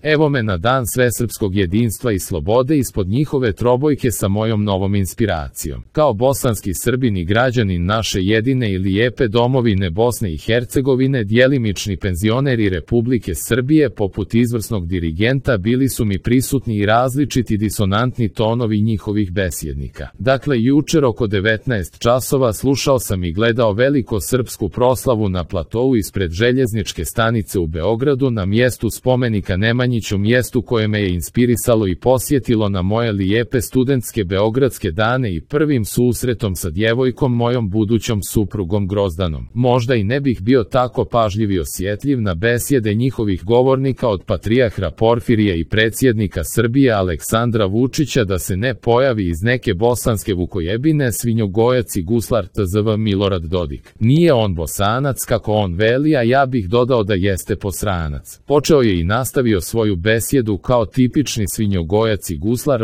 Evo me na dan svesrpskog jedinstva i slobode ispod njihove trobojke sa mojom novom inspiracijom. Kao bosanski Srbin i građanin naše jedine i lijepe domovine Bosne i Hercegovine, djelimični penzioneri Republike Srbije poput izvrsnog dirigenta bili su mi prisutni i različiti disonantni tonovi njihovih besjednika. Dakle, jučer oko 19 časova slušao sam i gledao veliko srpsku proslavu na platou ispred željezničke stanice u Beogradu na mjestu spomenika Nemanjiću, mjestu koje me je inspirisalo i posjetilo na moje lijepe studentske beogradske dane i prvim susretom sa djevojkom, mojom budućom suprugom Grozdanom. Možda i ne bih bio tako pažljiv i osjetljiv na besjede njihovih govornika od patrijarha Porfirija i predsjednika Srbije Aleksandra Vučića da se ne pojavi iz neke bosanske vukojebine svinjogojac i guslar tzv. Milorad Dodik. Nije on Bosanac kako on veli, a ja bih dodao da jeste posranac. Počeo je i nastavio svoju besjedu kao tipični svinjogojac i guslar,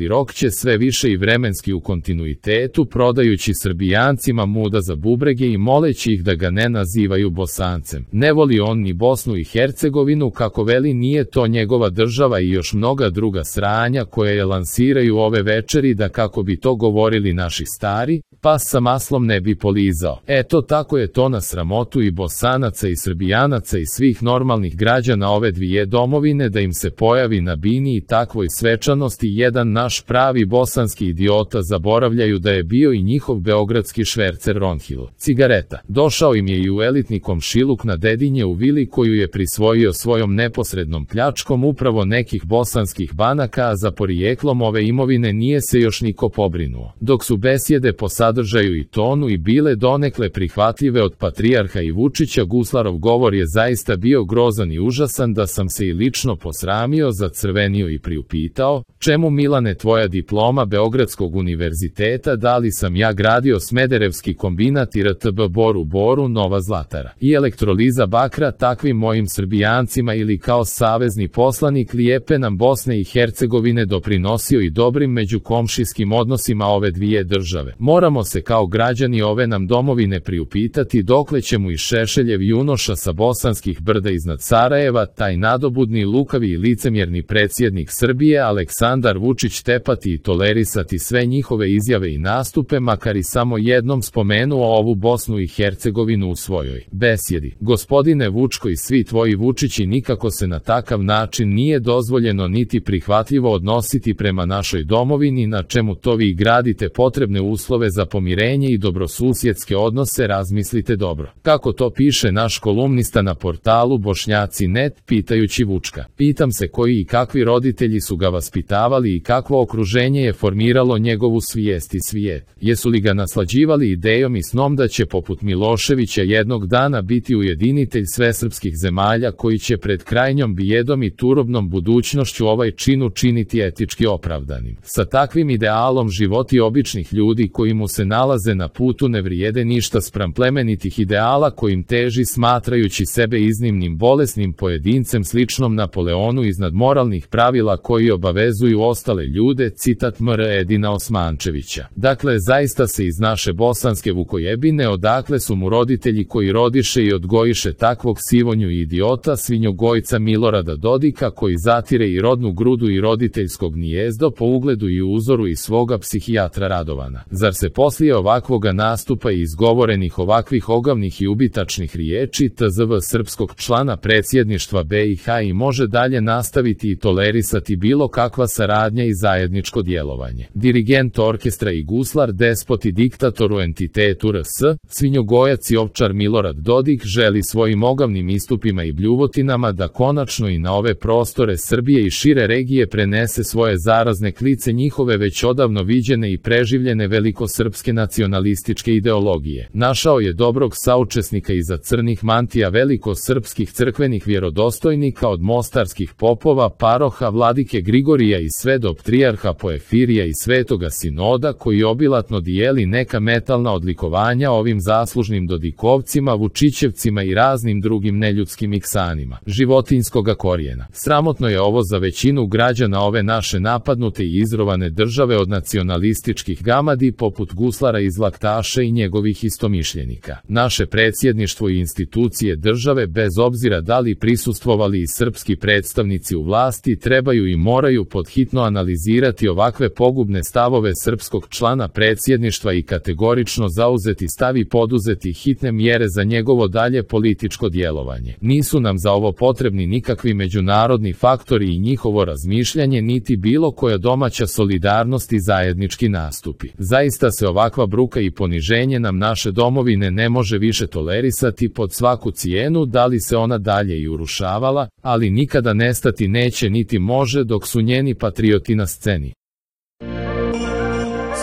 rokće sve više i vremenski u kontinuitetu, prodajući Srbijancima muda za bubrege i moleći ih da ga ne nazivaju Bosancem. Ne voli on ni Bosnu i Hercegovinu kako veli, nije to njegova država i još mnoga druga sranja koje je lansiraju ove večeri da kako bi to govorili naši stari, pas sa maslom ne bi polizao. Eto tako je to na sramotu i Bosanaca i Srbijanaca i svih normalnih građana ove dvije domovine da im se pojavi na bini i takvoj svečanosti jedan naš pravi bosanski idiota, zaboravljaju da je bio i njihov beogradski švercer Ronhill cigareta. Došao im je i u elitni komšiluk na Dedinje u vili koju je prisvojio svojom neposrednom pljačkom upravo nekih bosanskih banaka, a za porijeklom ove imovine nije se još niko pobrinuo. Dok su besjede po sadržaju i tonu i bile donekle prihvatljive od patrijarha i Vučića, guslarov govor je zaista bio grozan i užasan da sam se i lično posramio, zacrvenio i priupitao: čemu, Milane, tvoja diploma Beogradskog univerziteta, da li sam ja gradio Smederevski kombinat i RTB Boru Nova Zlatara i elektroliza bakra takvim mojim Srbijancima, ili kao savezni poslanik lijepe nam Bosne i Hercegovine doprinosio i dobrim međukomšijskim odnosima ove dvije države. Moramo se kao građani ove nam domovine priupitati dokle će mu i Šešeljev junoša sa bosanskih brda iznad Sarajeva, taj nadobudni, lukavi i licemjerni predsjednik Srbije Aleksandar Vučić, tepati i tolerisati sve njihove izjave i nastupe, makar i samo jednom spomenuo ovu Bosnu i Hercegovinu u svojoj besjedi. Gospodine Vučko i svi tvoji Vučići, nikako se na takav način nije dozvoljeno niti prihvatljivo odnositi prema našoj domovini, na čemu to vi gradite potrebne uslove za pomirenje i dobrosusjedske odnose, razmislite dobro. Kako to piše naš kolumnista na portalu Bošnjaci.net, pitajući Vučka. Pitam se koji i kakvi roditelji su ga vaspitavali i kakvo okruženje je formiralo njegovu svijest i svijet. Jesu li ga naslađivali idejom i snom da će poput Miloševića jednog dana biti ujedinitelj svesrpskih zemalja koji će pred krajnjom bijedom i turobnom budućnošću ovaj čin učiniti etički opravdanim. Sa takvim idealom životi običnih ljudi koji mu se nalaze na putu ne vrijede ništa spram plemenitih ideala kojim teži, smatrajući sebe iznimnim bolesnim pojedincem sličnom Napoleonu iznad moralnih pravila koji obavezuju ostale ljude, citat M.R. Edina Osmančevića. Dakle, zaista se iz naše bosanske vukojebine, odakle su mu roditelji koji rodiše i odgojiše takvog sivonju i idiota svinjogojca Milorada Dodika, koji zatire i rodnu grudu i roditeljskog nijezdo po ugledu i uzoru i svoga psihijatra Radovana. Zar se poslije ovakvoga nastupa i izgovorenih ovakvih ogavnih i ubitačnih riječi tzv. srpskog člana predsjedništva BiH i može dalje nastaviti i tolerisati bilo kakva saradnja i zajedničko djelovanje? Dirigent orkestra i guslar, despot i diktator u entitetu RS, svinjogojac i ovčar Milorad Dodik želi svojim ogavnim istupima i bljuvotinama da konačno i na ove prostore Srbije i šire regije prenese svoje zarazne klice njihove već odavno viđene i preživljene velikosrpske nacionalističke ideologije. Našao je dobrog saučesnika iza crnih mantija velikosrpskih crkvenih vjerodostojnika, od mostarskih popova, paroha, vladike Grigorija i sve do ptrijarha Poefirija i svetoga sinoda, koji obilatno dijeli neka metalna odlikovanja ovim zaslužnim dodikovcima, Vučićevcima i raznim drugim neljudskim iksanima životinjskoga korijena. Sramotno je ovo za većinu građana ove naše napadnute i izrovane države od nacionalističkih gamadi poput guslara iz Laktaša i njegovih istomišljenika. Naše predsjedništvo i institucije države, bez obzira da li prisustvovali i srpski predstavnici u vlasti, trebaju i moraju podhitno analizirati ovakve pogubne stavove srpskog člana predsjedništva i kategorično zauzeti stav i poduzeti hitne mjere za njegovo dalje političko djelovanje. Nisu nam za ovo potrebni nikakvi međunarodni faktori i njihovo razmišljanje, niti bilo koja domaća solidarnost i zajednički nastupi. Zaista se ovakva bruka i poniženje nam naše domovine ne može više tolerisati pod svaku cijenu, da li se ona dalje i urušavala, ali nikada nestati neće niti može dok su njeni patrioti na sceni.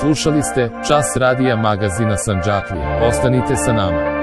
Slušali ste Čas radija magazina Sandžaklija. Ostanite sa nama.